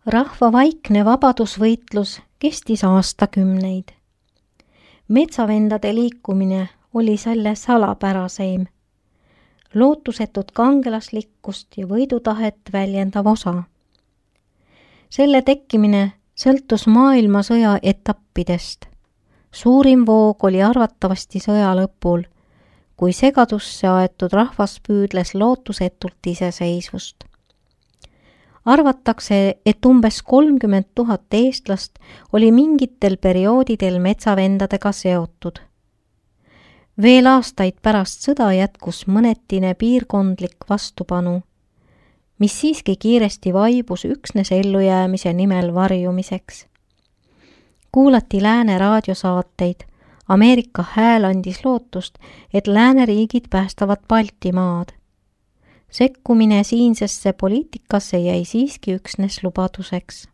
Rahva vaikne vabadusvõitlus kestis aastakümneid. Metsavendade liikumine oli selle salapäraseim, lootusetut kangelaslikkust ja võidutahet väljendav osa. Selle tekkimine sõltus maailmasõja etappidest. Suurim voog oli arvatavasti sõja lõpul, kui segadusse aetud rahvas püüdles lootusetult iseseisvust. Arvatakse, et umbes 30 000 eestlast oli mingitel perioodidel metsavendadega seotud. Veel aastaid pärast sõda jätkus mõnetine piirkondlik vastupanu, mis siiski kiiresti vaibus üksnes ellujäämise nimel varjumiseks. Kuulati lääne raadiosaateid, Ameerika hääl andis lootust, et lääneriigid päästavad Baltimaad. Sekkumine siinsesse poliitikasse jäi siiski üksnes lubaduseks.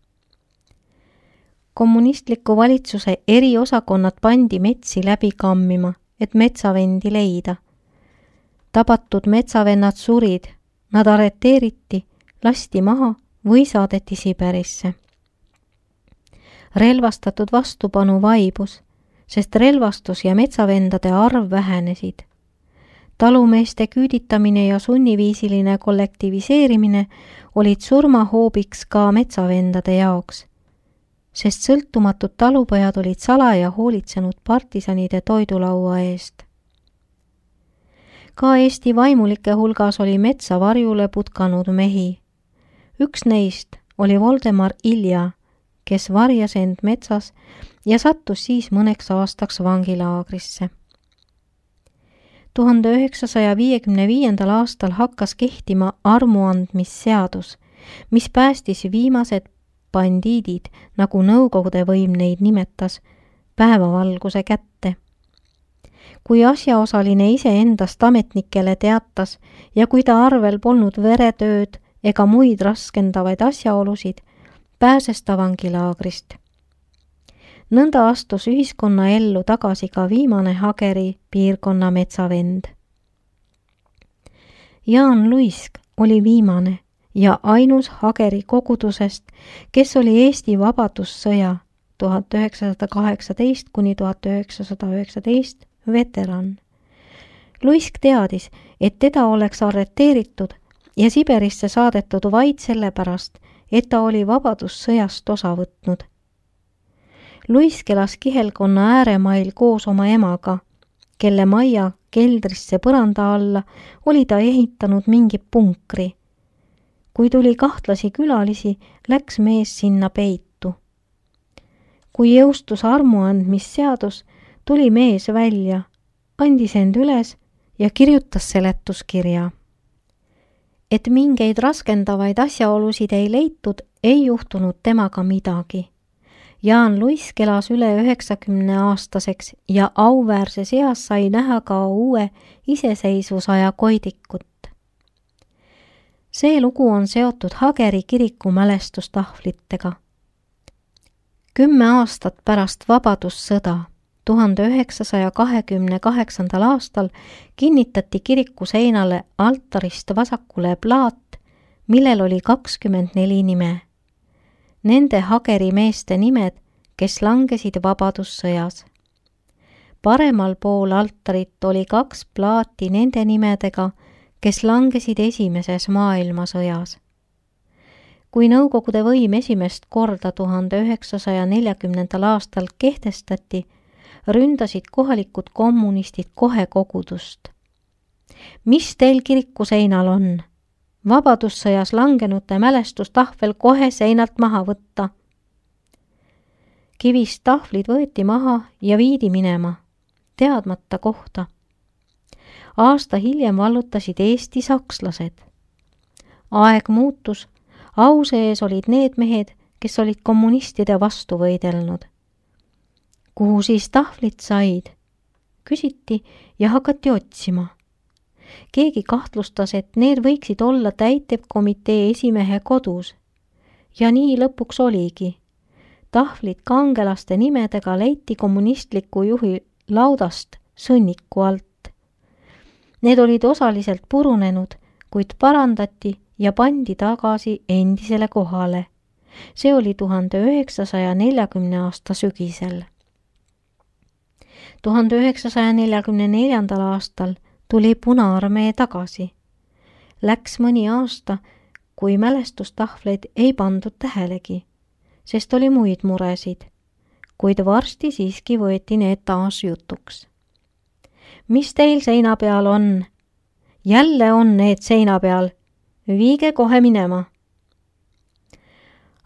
Kommunistliku valitsuse eriosakonnad pandi metsi läbi kammima, et metsavendi leida. Tabatud metsavennad surid, nad arreteeriti, lasti maha või saadeti Siberisse. Relvastatud vastupanu vaibus, sest relvastus ja metsavendade arv vähenesid. Talumeeste küüditamine ja sunniviisiline kollektiviseerimine olid surmahoobiks ka metsavendade jaoks, sest sõltumatud talupojad olid salaja hoolitsenud partisanide toidulaua eest. Ka Eesti vaimulike hulgas oli metsa varjule putkanud mehi. Üks neist oli Voldemar Ilja, kes varjas end metsas ja sattus siis mõneks aastaks vangilaagrisse. 1955. aastal hakkas kehtima armuandmisseadus, mis päästis viimased bandiidid, nagu Nõukogude võim neid nimetas, päevavalguse kätte. Kui asjaosaline iseendast ametnikele teatas ja kui ta arvel polnud veretööd ega muid raskendavaid asjaolusid, pääses ta vangilaagrist. Nõnda astus ühiskonna ellu tagasi ka viimane Hageri piirkonna metsavend. Jaan Luisk oli viimane ja ainus Hageri kogudusest, kes oli Eesti vabadussõja 1918–1919 veteran. Luisk teadis, et teda oleks arreteeritud ja Siberisse saadetud vaid sellepärast, et ta oli vabadussõjast osa võtnud. Luisk elas Kihelkonna ääremail koos oma emaga, kelle majja keldrisse põranda alla oli ta ehitanud mingi punkri. Kui tuli kahtlasi külalisi, läks mees sinna peitu. Kui jõustus armuandmisseadus, tuli mees välja, andis end üles ja kirjutas seletuskirja. Et mingeid raskendavaid asjaolusid ei leitud, ei juhtunud temaga midagi. Jaan Luisk elas üle 90-aastaseks ja auväärses eas sai näha ka uue iseseisvusaja koidikut. See lugu on seotud Hageri kiriku mälestustahvlitega. 10 aastat pärast vabadussõda, 1928. aastal kinnitati kiriku seinale altarist vasakule plaat, millel oli 24 nime. Nende Hageri meeste nimed, kes langesid vabadussõjas. Paremal pool altarit oli 2 plaati nende nimedega, kes langesid esimeses maailmasõjas. Kui Nõukogude võim esimest korda 1940. aastal kehtestati, ründasid kohalikud kommunistid kohe kogudust. Mis teil kiriku seinal on? Vabadussõjas langenute mälestustahvel kohe seinalt maha võtta. Kivist tahvlid võeti maha ja viidi minema, teadmata kohta. Aasta hiljem vallutasid Eesti sakslased. Aeg muutus, au sees olid need mehed, kes olid kommunistide vastu võidelnud. Kuhu siis tahvlid said? Küsiti ja hakati otsima. Keegi kahtlustas, et need võiksid olla täitevkomitee esimehe kodus. Ja nii lõpuks oligi. Tahvlid kangelaste nimedega leiti kommunistliku juhi laudast sõnniku alt. Need olid osaliselt purunenud, kuid parandati ja pandi tagasi endisele kohale. See oli 1940 aasta sügisel. 1944. aastal tuli Punaarmee tagasi. Läks mõni aasta, kui mälestustahvleid ei pandud tähelegi, sest oli muid muresid, kuid varsti siiski võeti need taas jutuks. Mis teil seina peal on? Jälle on need seina peal. Viige kohe minema.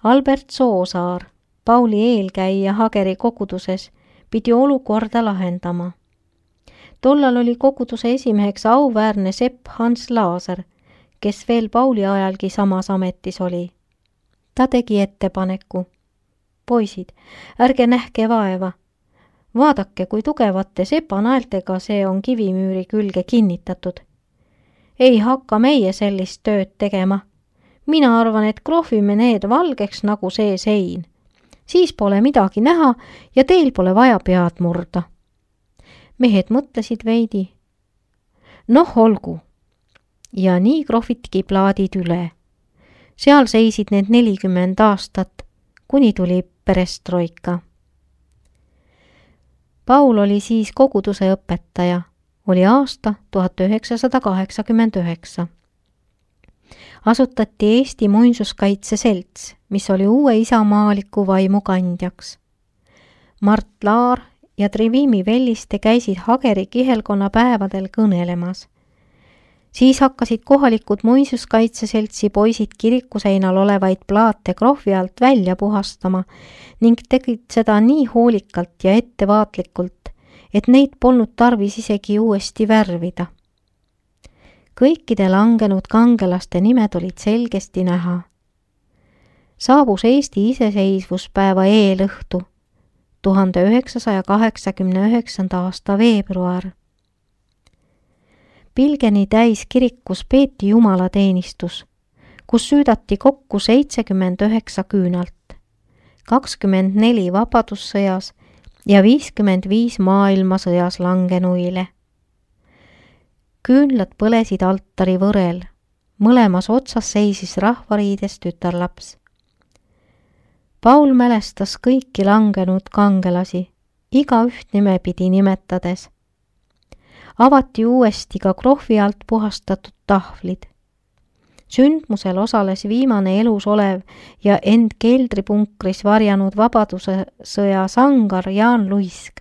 Albert Soosaar, Pauli eelkäija Hageri koguduses, pidi olukorda lahendama. Tollal oli koguduse esimeheks auväärne sepp Hans Laaser, kes veel Pauli ajalgi samas ametis oli. Ta tegi ettepaneku. Poisid, ärge nähke vaeva. Vaadake, kui tugevate sepanaeltega see on kivimüüri külge kinnitatud. Ei hakka meie sellist tööd tegema. Mina arvan, et krohvime need valgeks nagu see sein. Siis pole midagi näha ja teil pole vaja pead murda. Mehed mõtlesid veidi. Noh, olgu. Ja nii krohvitki plaadid üle. Seal seisid need 40 aastat, kuni tuli perestroika. Paul oli siis koguduse õpetaja. Oli aasta 1989. Asutati Eesti Muinsuskaitse Selts, mis oli uue isamaaliku vaimu kandjaks. Mart Laar ja Trivimi Velliste käisid Hageri kihelkonna päevadel kõnelemas. Siis hakkasid kohalikud Muinsuskaitseseltsi poisid kirikuseinal olevaid plaate krohvi alt välja puhastama ning tegid seda nii hoolikalt ja ettevaatlikult, et neid polnud tarvis isegi uuesti värvida. Kõikide langenud kangelaste nimed olid selgesti näha. Saabus Eesti iseseisvuspäeva eelõhtu, 1989. aasta veebruar. Pilgeni täis kirikus peeti jumalateenistus, kus süüdati kokku 79 küünalt, 24 vabadussõjas ja 55 maailmasõjas langenuile. Küünlad põlesid altari võrel, mõlemas otsas seisis rahvariides tütarlaps. Paul mälestas kõiki langenud kangelasi, igaüht nimepidi nimetades. Avati uuesti ka krohvi alt puhastatud tahvlid. Sündmusel osales viimane elus olev ja end keldripunkris varjanud vabadussõja sangar Jaan Luisk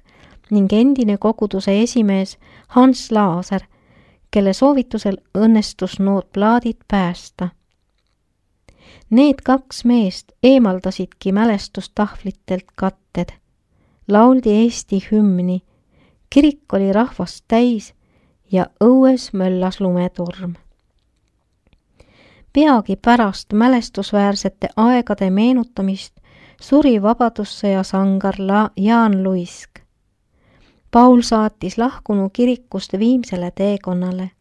ning endine koguduse esimees Hans Laaser, kelle soovitusel õnnestus nood plaadid päästa. Need 2 meest eemaldasidki mälestustahvlitelt katted. Lauldi Eesti hümni, kirik oli rahvast täis ja õues möllas lumetorm. Peagi pärast mälestusväärsete aegade meenutamist suri vabadussõja sangar Jaan Luisk. Paul saatis lahkunu kirikust viimsele teekonnale.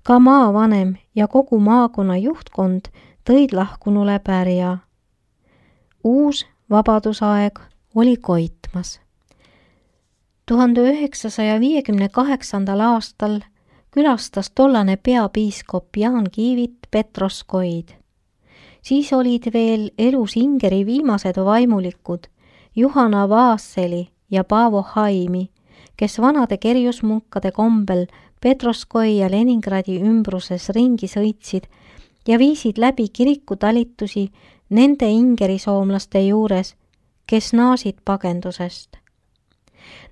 Ka maavanem ja kogu maakonna juhtkond tõid lahkunule pärja. Uus vabadusaeg oli koitmas. 1958. aastal külastas tollane peapiiskop Jaan Kiivit Petroskoid. Siis olid veel elus Ingeri viimased vaimulikud Juhana Vaasseli ja Paavo Haimi, kes vanade kerjusmunkade kombel Petroskoi ja Leningradi ümbruses ringi sõitsid ja viisid läbi kirikutalitusi nende ingerisoomlaste juures, kes naasid pagendusest.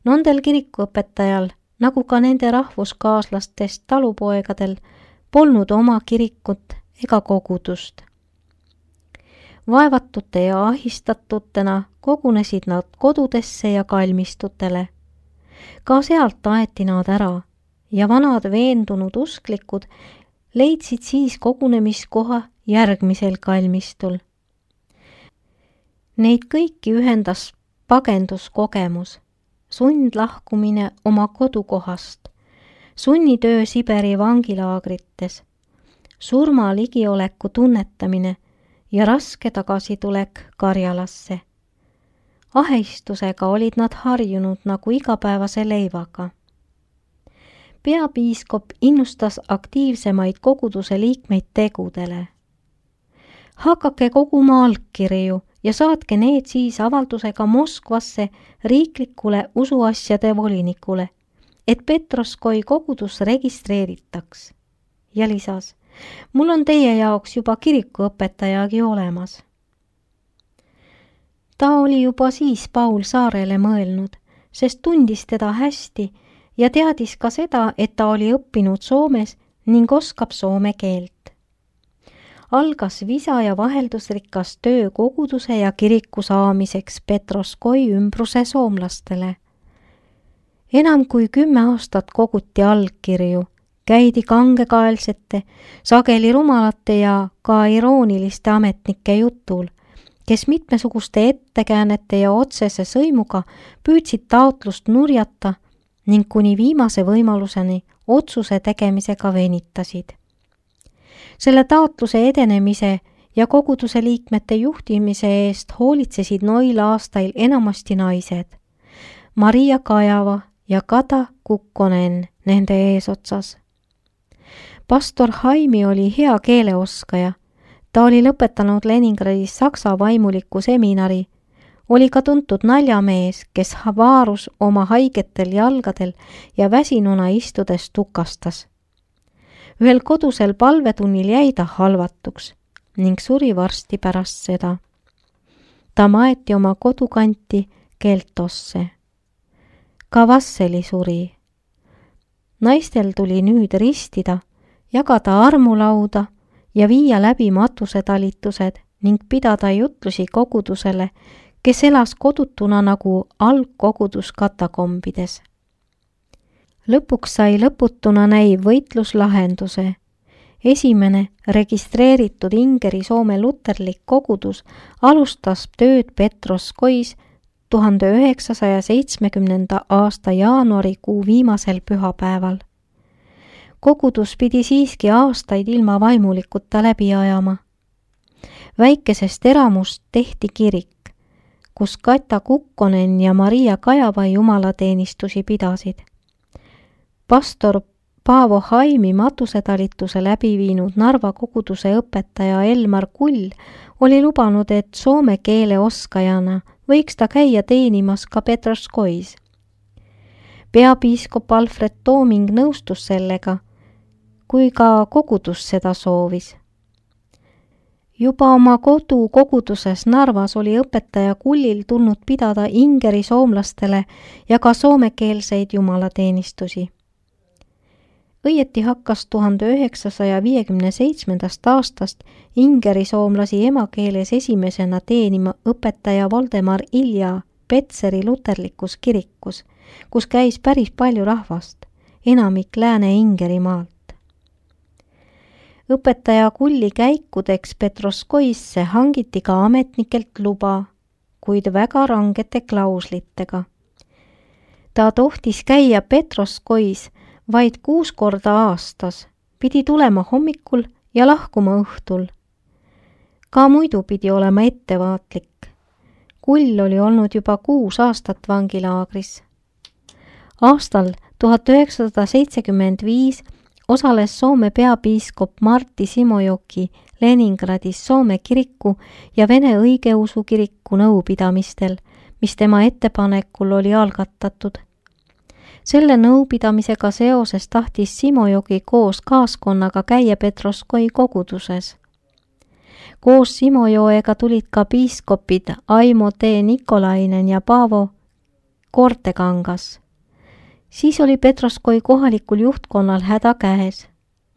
Nendel kirikuõpetajal, nagu ka nende rahvuskaaslastest talupoegadel, polnud oma kirikut ega kogudust. Vaevatute ja ahistatutena kogunesid nad kodudesse ja kalmistutele. Ka sealt aeti nad ära ja vanad veendunud usklikud leidsid siis kogunemiskoha järgmisel kalmistul. Neid kõiki ühendas pagenduskogemus, sundlahkumine oma kodukohast, sunnitöö Siberi vangilaagrites, surma ligioleku tunnetamine ja raske tagasitulek Karjalasse. Ahistusega olid nad harjunud nagu igapäevase leivaga. Peapiiskop innustas aktiivsemaid koguduse liikmeid tegudele. Hakake koguma allkirju ja saatke need siis avaldusega Moskvasse riiklikule usuasjade volinikule, et Petroskoi kogudus registreeritaks. Ja lisas, mul on teie jaoks juba kirikuõpetajagi olemas. Ta oli juba siis Paul Saarele mõelnud, sest tundis teda hästi ja teadis ka seda, et ta oli õppinud Soomes ning oskab soome keelt. Algas visa ja vaheldusrikas töö koguduse ja kiriku saamiseks Petroskoi ümbruse soomlastele. Enam kui 10 aastat koguti allkirju, käidi kangekaelsete, sageli rumalate ja ka irooniliste ametnike jutul, kes mitmesuguste ettekäänete ja otsese sõimuga püüdsid taotlust nurjata ning kuni viimase võimaluseni otsuse tegemisega venitasid. Selle taotluse edenemise ja koguduse liikmete juhtimise eest hoolitsesid noil aastail enamasti naised. Maria Kajava ja Kata Kukkonen nende eesotsas. Pastor Haimi oli hea keeleoskaja. Ta oli lõpetanud Leningradis saksa vaimuliku seminari, oli ka tuntud naljamees, kes vaarus oma haigetel jalgadel ja väsinuna istudes tukastas. Ühel kodusel palvetunnil jäi ta halvatuks ning suri varsti pärast seda. Ta maeti oma kodukanti Keltosse. Ka Vasseli suri. Naistel tuli nüüd ristida, jagada armulauda ja viia läbi matusetalitused ning pidada jutlusi kogudusele, kes elas kodutuna nagu algkogudus katakombides. Lõpuks sai lõputuna näiv võitlus lahenduse. Esimene registreeritud Ingeri Soome luterlik kogudus alustas tööd Petroskois 1970. aasta jaanuarikuu viimasel pühapäeval. Kogudus pidi siiski aastaid ilma vaimulikuta läbi ajama. Väikesest eramust tehti kirik, kus Kata Kukkonen ja Maria Kajava jumalateenistusi pidasid. Pastor Paavo Haimi matusetalituse läbi viinud Narva koguduse õpetaja Elmar Kull oli lubanud, et soome keele oskajana võiks ta käia teenimas ka Petroskois. Peapiiskop Alfred Tooming nõustus sellega, kui ka kogudus seda soovis. Juba oma kodukoguduses Narvas oli õpetaja Kullil tulnud pidada Ingeri soomlastele ja ka soomekeelseid jumalateenistusi. Õieti hakkas 1957. aastast Ingeri soomlasi emakeeles esimesena teenima õpetaja Voldemar Ilja Petseri luterlikus kirikus, kus käis päris palju rahvast, enamik Lääne-Ingerimaalt. Õpetaja Kulli käikudeks Petroskoisse hangiti ka ametnikelt luba, kuid väga rangete klauslitega. Ta tohtis käia Petroskois vaid 6 korda aastas, pidi tulema hommikul ja lahkuma õhtul. Ka muidu pidi olema ettevaatlik. Kull oli olnud juba 6 aastat vangilaagris. Aastal 1975 osales Soome peapiiskop Martti Simojoki Leningradis Soome kiriku ja Vene õigeusu kiriku nõupidamistel, mis tema ettepanekul oli algatatud. Selle nõupidamisega seoses tahtis Simojoki koos kaaskonnaga käia Petroskoi koguduses. Koos Simojoega tulid ka piiskopid Aimo T. Nikolainen ja Paavo Kortekangas. Siis oli Petroskoi kohalikul juhtkonnal häda käes.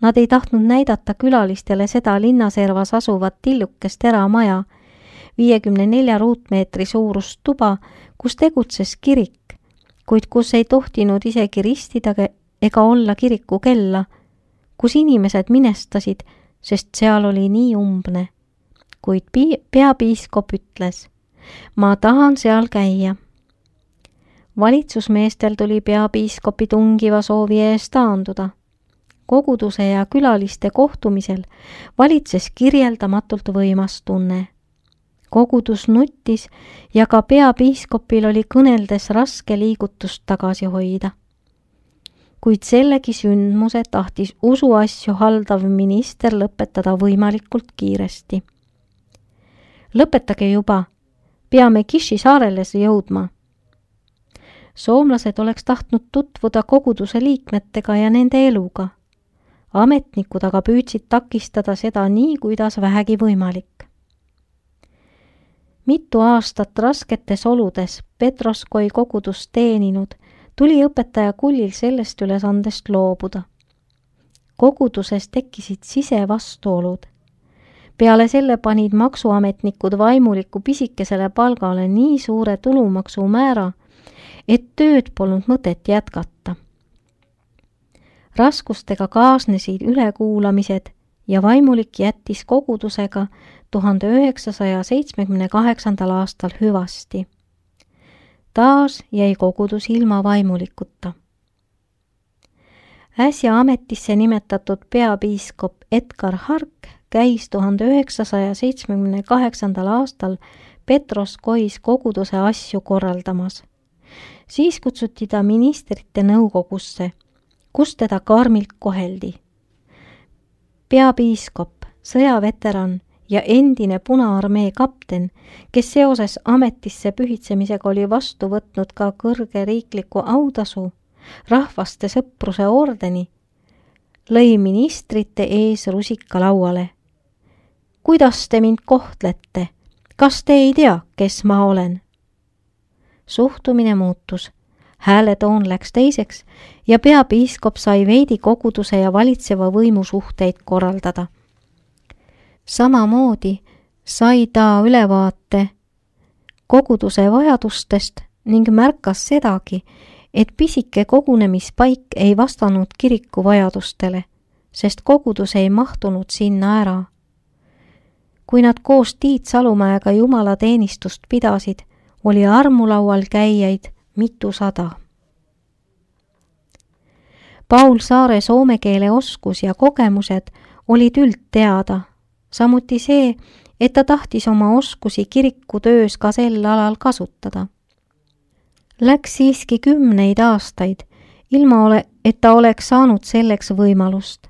Nad ei tahtnud näidata külalistele seda linnaservas asuvat tillukest eramaja, 54 ruutmeetri suurust tuba, kus tegutses kirik, kuid kus ei tohtinud isegi ristida ega olla kiriku kella, kus inimesed minestasid, sest seal oli nii umbne. Kuid peapiiskop ütles, ma tahan seal käia. Valitsusmeestel tuli peapiiskopi tungiva soovi eest taanduda. Koguduse ja külaliste kohtumisel valitses kirjeldamatult võimas tunne. Kogudus nuttis ja ka peapiiskopil oli kõneldes raske liigutust tagasi hoida. Kuid sellegi sündmuse tahtis usuasju haldav minister lõpetada võimalikult kiiresti. Lõpetage juba, peame Kiši saarele jõudma. Soomlased oleks tahtnud tutvuda koguduse liikmetega ja nende eluga. Ametnikud aga püüdsid takistada seda nii, kuidas vähegi võimalik. Mitu aastat rasketes oludes Petroskoi kogudust teeninud, tuli õpetaja Kullil sellest ülesandest loobuda. Koguduses tekkisid sisevastuolud. Peale selle panid maksuametnikud vaimuliku pisikesele palgale nii suure tulumaksumäära, et tööd polnud mõtet jätkata. Raskustega kaasnesid ülekuulamised ja vaimulik jättis kogudusega 1978. aastal hüvasti. Taas jäi kogudus ilma vaimulikuta. Äsja ametisse nimetatud peapiiskop Edgar Hark käis 1978. aastal Petroskois koguduse asju korraldamas. Siis kutsuti ta ministrite nõukogusse, kus teda karmilt koheldi. Peapiiskop, sõjaveteran ja endine Punaarmee kapten, kes seoses ametisse pühitsemisega oli vastu võtnud ka kõrge riikliku autasu, rahvaste sõpruse ordeni, lõi ministrite ees rusika lauale. Kuidas te mind kohtlete? Kas te ei tea, kes ma olen? Suhtumine muutus, hääletoon läks teiseks ja peapiiskop sai veidi koguduse ja valitseva võimu suhteid korraldada. Samamoodi sai ta ülevaate koguduse vajadustest ning märkas sedagi, et pisike kogunemispaik ei vastanud kiriku vajadustele, sest kogudus ei mahtunud sinna ära. Kui nad koos Tiit Salumäega jumalateenistust pidasid, oli armulaual käijaid mitusada. Paul Saare soome keele oskus ja kogemused olid üldteada, samuti see, et ta tahtis oma oskusi kirikutöös ka sel alal kasutada. Läks siiski 10 aastaid, ilma et ta oleks saanud selleks võimalust.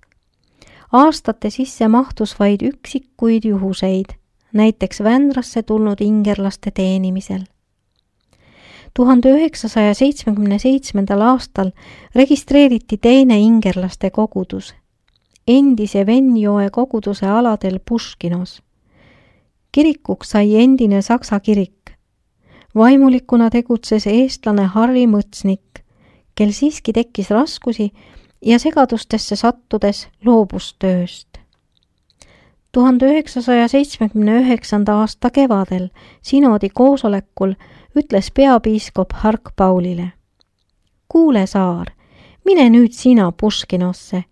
Aastate sisse mahtus vaid üksikuid juhuseid, näiteks Vändrasse tulnud ingerlaste teenimisel. 1977. aastal registreeriti teine ingerlaste kogudus, endise Venjoe koguduse aladel Puškinos. Kirikuks sai endine Saksa kirik. Vaimulikuna tegutses eestlane Harri Mõtsnik, kel siiski tekkis raskusi ja segadustesse sattudes loobus tööst. 1979. aasta kevadel sinodi koosolekul ütles peapiiskop Hark Paulile: Kuule, Saar, mine nüüd sina Puškinosse,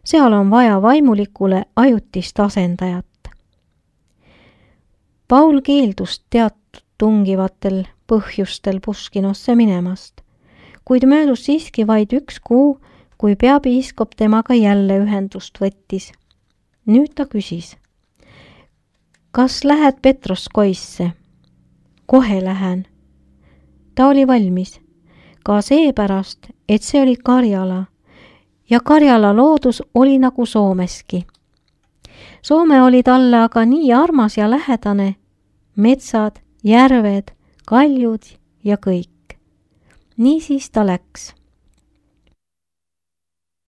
seal on vaja vaimulikule ajutist asendajat. Paul keeldus teatud tungivatel põhjustel Puškinosse minemast, kuid möödus siiski vaid 1 kuu, kui peapiiskop temaga jälle ühendust võttis. Nüüd ta küsis: Kas lähed Petroskoisse? Kohe lähen. Ta oli valmis, ka seepärast, et see oli Karjala ja Karjala loodus oli nagu Soomeski. Soome oli talle aga nii armas ja lähedane, metsad, järved, kaljud ja kõik. Niisiis ta läks.